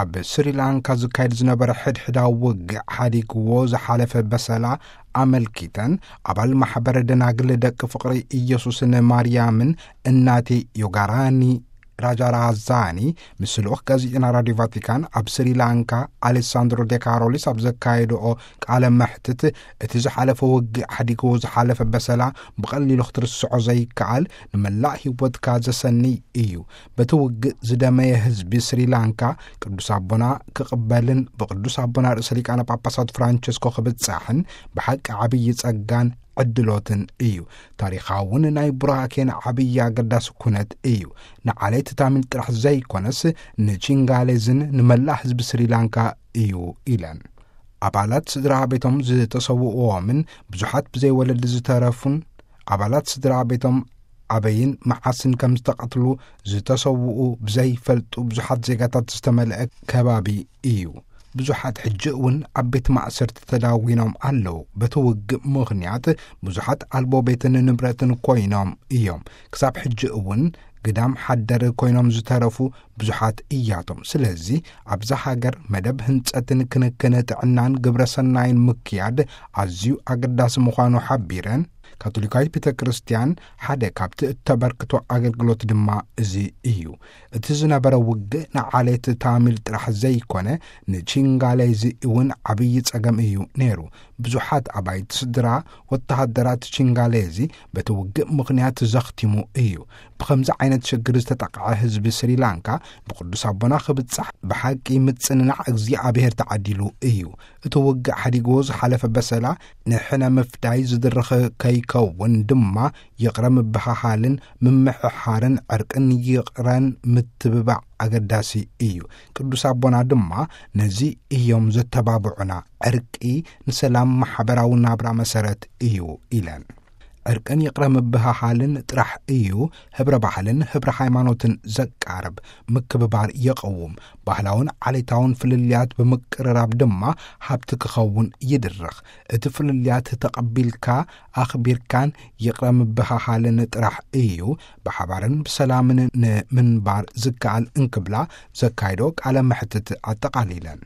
ኣብ ስሪላንካ ዝካየድ ዝነበረ ሕድሕዳዊ ውግእ ሓዲግዎ ዝሓለፈ በሰላ ኣመልኪተን፣ ኣባል ማሕበረ ደናግል ደቂ ፍቕሪ ኢየሱስን ማርያምን እናቴ ዮጋራኒ ራጃራዛኒ ምስ ልኡኽ ጋዜጠና ራዲዮ ቫቲካን ኣብ ስሪላንካ ኣሌሳንድሮ ዴካሮሊስ ኣብ ዘካየድኦ ቃለ መሕትት፣ እቲ ዝሓለፈ ውግእ ሓዲግዎ ዝሓለፈ በሰላ ብቐሊሉ ክትርስዖ ዘይከኣል፣ ንመላእ ህይወትካ ዘሰንይ እዩ። በቲ ውግእ ዝደመየ ህዝቢ ስሪላንካ ቅዱስ ኣቦና ክቕበልን ብቅዱስ ኣቦና ርእሰ ሊቃነ ጳጳሳት ፍራንቸስኮ ክብጻሕን ብሓቂ ዓብዪ ጸጋን ዕድሎትን እዩ። ታሪኻውን ናይ ቡራኬን ዓብዪ ኣገዳሲ ኩነት እዩ። ንዓሌት ታሚል ጥራሕ ዘይኮነስ ንቺንጋሌዝን ንመላእ ህዝቢ ስሪላንካ እዩ ኢለን። ኣባላት ስድራ ቤቶም ዝተሰውእዎምን ብዙሓት ብዘይ ወለዲ ዝተረፉን ኣባላት ስድራ ቤቶም ኣበይን መዓስን ከም ዝተቐትሉ ዝተሰውኡ ብዘይፈልጡ ብዙሓት ዜጋታት ዝተመልአ ከባቢ እዩ። ብዙሓት ሕጂ እውን ኣብ ቤት ማእሰርቲ ተዳዊኖም ኣለዉ። በቲ ውግእ ምኽንያት ብዙሓት ኣልቦ ቤትን ንብረትን ኮይኖም እዮም። ክሳብ ሕጂ እውን ግዳም ሓደር ኮይኖም ዝተረፉ ብዙሓት እያቶም። ስለዚ ኣብዛ ሃገር መደብ ህንጸትን ክንክን ጥዕናን ግብረ ሰናይን ምክያድ ኣዝዩ ኣገዳሲ ምዃኑ ሓቢረን፣ ካቶሊካዊት ቤተ ክርስቲያን ሓደ ካብቲ እተበርክቶ ኣገልግሎት ድማ እዚ እዩ። እቲ ዝነበረ ውግእ ንዓሌት ታሚል ጥራሕ ዘይኮነ፣ ንቺንጋሌዚ እውን ዓብዪ ጸገም እዩ ነይሩ። ብዙሓት ኣባይቲ ስድራ ወተሃደራት ቺንጋሌዚ በቲ ውግእ ምኽንያት ዘኽቲሙ እዩ። ብኸምዚ ዓይነት ሽግር ዝተጠቕዐ ህዝቢ ስሪላንካ ብቅዱስ ኣቦና ክብጻሕ ብሓቂ ምጽንናዕ እግዚኣብሔር ተዓዲሉ እዩ። እቲ ውግእ ሓዲግዎ ዝሓለፈ በሰላ ንሕነ ምፍዳይ ዝድርኽ ከይከውን ድማ ይቕረ ምብሃሃልን ምምሕሓርን ዕርቅን ይቕረን ምትብባዕ ኣገዳሲ እዩ። ቅዱስ ኣቦና ድማ ነዚ እዮም ዘተባብዑና። ዕርቂ ንሰላም ማሕበራዊ ናብራ መሰረት እዩ ኢለን። ዕርቅን ይቕረ ምብሃሃልን ጥራሕ እዩ ህብረ ባህልን ህብረ ሃይማኖትን ዘቃርብ፣ ምክብባር የቐውም። ባህላውን ዓሌታውን ፍልልያት ብምቅርራብ ድማ ሃብቲ ክኸውን ይድርኽ። እቲ ፍልልያት ተቐቢልካ ኣኽቢርካን ይቕረ ምብሃሃልን ጥራሕ እዩ ብሓባርን ብሰላምን ንምንባር ዝከኣል እንክብላ ዘካይዶ ቃለ መሕትት ኣጠቓሊለን።